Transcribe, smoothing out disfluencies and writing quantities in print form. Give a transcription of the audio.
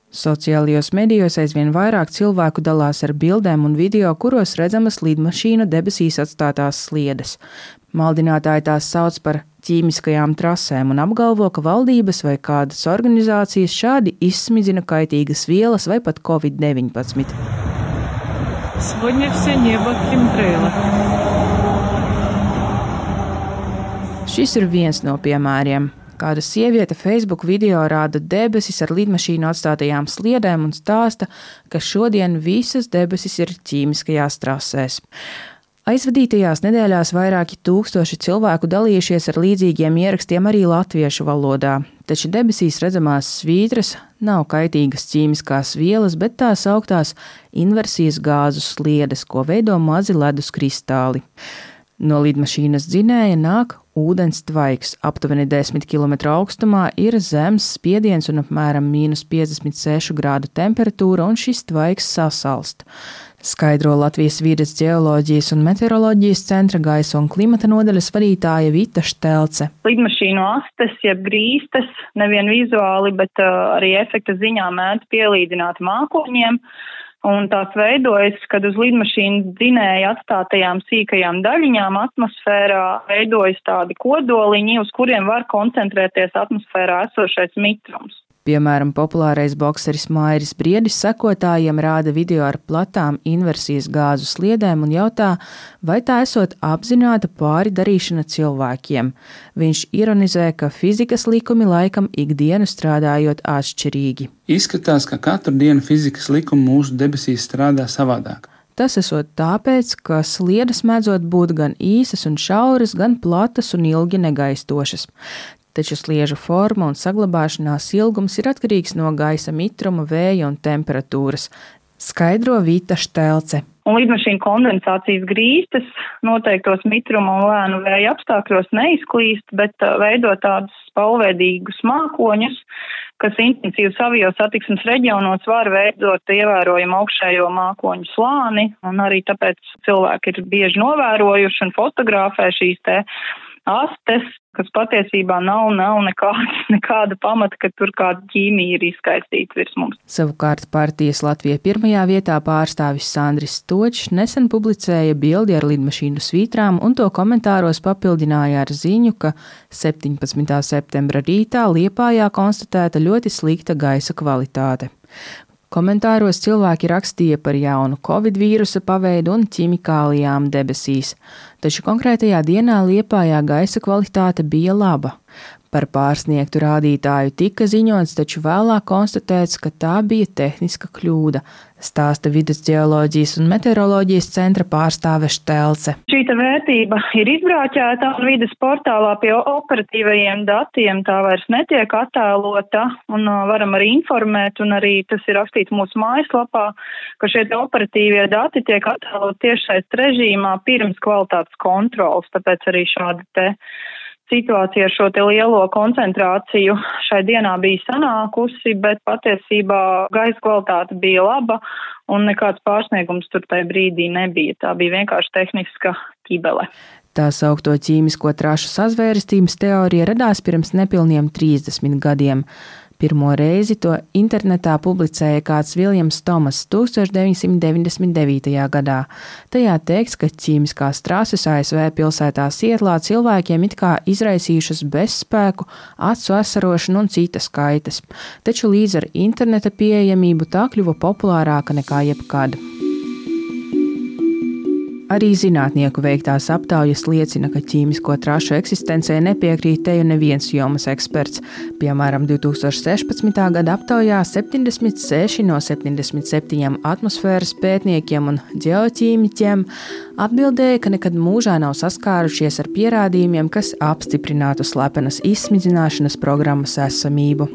Sociālajos medijos aizvien vairāk cilvēku dalās ar bildēm un video, kuros redzamas lidmašīnu debesīs atstātās sliedes. Maldinātāji tās sauc par ķīmiskajām trasēm un apgalvo, ka valdības vai kādas organizācijas šādi izsmidzina kaitīgas vielas vai pat Covid-19. Сегодня все небо химтрейлы. Šis ir viens no piemēriem. Kāda sieviete Facebook video rāda debesis ar lidmašīnu atstātajām sliedēm un stāsta, ka šodien visas debesis ir ķīmiskajās trasēs. Aizvadītajās nedēļās vairāki tūkstoši cilvēku dalījušies ar līdzīgiem ierakstiem arī latviešu valodā, taču debesīs redzamās svītras nav kaitīgas ķīmiskās vielas, bet tās augtās inversijas gāzu sliedes, ko veido mazi ledus kristāli. No lidmašīnas dzinēja nāk ūdens tvaiks. Aptuveni 10 km augstumā ir zemes spiediens un apmēram -56 grādu temperatūra, un šis tvaiks sasalst. Skaidro Latvijas vides ģeoloģijas un meteoroloģijas centra gaisa un klimata nodaļas vadītāja Vita Štelce. Lidmašīnu astes, jeb grīstes, nevien vizuāli, bet arī efekta ziņā mēdz pielīdzināt mākoņiem. Un tās veidojas, kad uz lidmašīnas dzinēja atstātajām sīkajām daļiņām atmosfērā veidojas tādi kodoliņi, uz kuriem var koncentrēties atmosfērā esošais mitrums. Piemēram, populārais bokseris Mairis Briedis sekotājiem rāda video ar platām inversijas gāzu sliedēm un jautā, vai tā esot apzināta pāri darīšana cilvēkiem. Viņš ironizē, ka fizikas likumi laikam ikdienu strādājot atšķirīgi. Izskatās, ka katru dienu fizikas likumi mūsu debesīs strādā savādāk. Tas esot tāpēc, ka sliedes mēdzot būt gan īsas un šauras, gan platas un ilgi negaistošas. Taču sliežu forma un saglabāšanās ilgums ir atkarīgs no gaisa mitruma, vēja un temperatūras, skaidro Vita Štelce. Un lidmašīnu kondensācijas grīstes noteiktos mitruma un lēnu vēja apstākļos neizklīst, bet veido tādus spalveidīgus mākoņus, kas intensīvi savijos satiksmes reģionos var veidot ievērojumu augšējo mākoņu slāni, un arī tāpēc cilvēki ir bieži novērojuši un fotografē šīs te astes, kas patiesībā nav nekāda pamata, ka tur kāda ķīmija ir izskaistīta virs mums. Savukārt partijas Latvija pirmajā vietā pārstāvis Sandris Stočs nesen publicēja bildi ar lidmašīnu svītrām un to komentāros papildināja ar ziņu, ka 17. septembra rītā Liepājā konstatēta ļoti slikta gaisa kvalitāte. Komentāros cilvēki rakstīja par jaunu Covid vīrusa paveidu un ķimikālijām debesīs, taču konkrētajā dienā Liepājā gaisa kvalitāte bija laba. Par pārsniegtu rādītāju tika ziņots, taču vēlāk konstatēts, ka tā bija tehniska kļūda, stāsta vides ģeoloģijas un meteoroloģijas centra pārstāve Štelce. Šī vērtība ir izbrāķēta un vides portālā pie operatīvajiem datiem tā vairs netiek attēlota un varam arī informēt, un arī tas ir rakstīts mūsu mājaslapā, ka šie operatīvie dati tiek attēlot tiešsaistes režīmā pirms kvalitātes kontrolas, tāpēc arī šāda situācija ar šo lielo koncentrāciju šai dienā bija sanākusi, bet patiesībā gaisa kvalitāte bija laba un nekāds pārsniegums tur tajā brīdī nebija. Tā bija vienkārši tehniska ķibele. Tā saukto ķīmisko trašu sazvērestības teorija radās pirms nepilniem 30 gadiem. Pirmo reizi to internetā publicēja kāds Viljams Tomas 1999. gadā. Tajā teikts, ka ķīmiskās trases ASV pilsētā Sietlā cilvēkiem it kā izraisījušas bezspēku, acu asarošanu un citas kaitas. Taču līdz ar interneta pieejamību tā kļuva populārāka nekā jebkad. Arī zinātnieku veiktās aptaujas liecina, ka ķīmisko trašu eksistencē nepiekrīt teju neviens jomas eksperts. Piemēram, 2016. gada aptaujā 76 no 77 atmosfēras pētniekiem un ģeoķīmiķiem atbildēja, ka nekad mūžā nav saskārušies ar pierādījumiem, kas apstiprinātu slepenas izsmidzināšanas programmas esamību.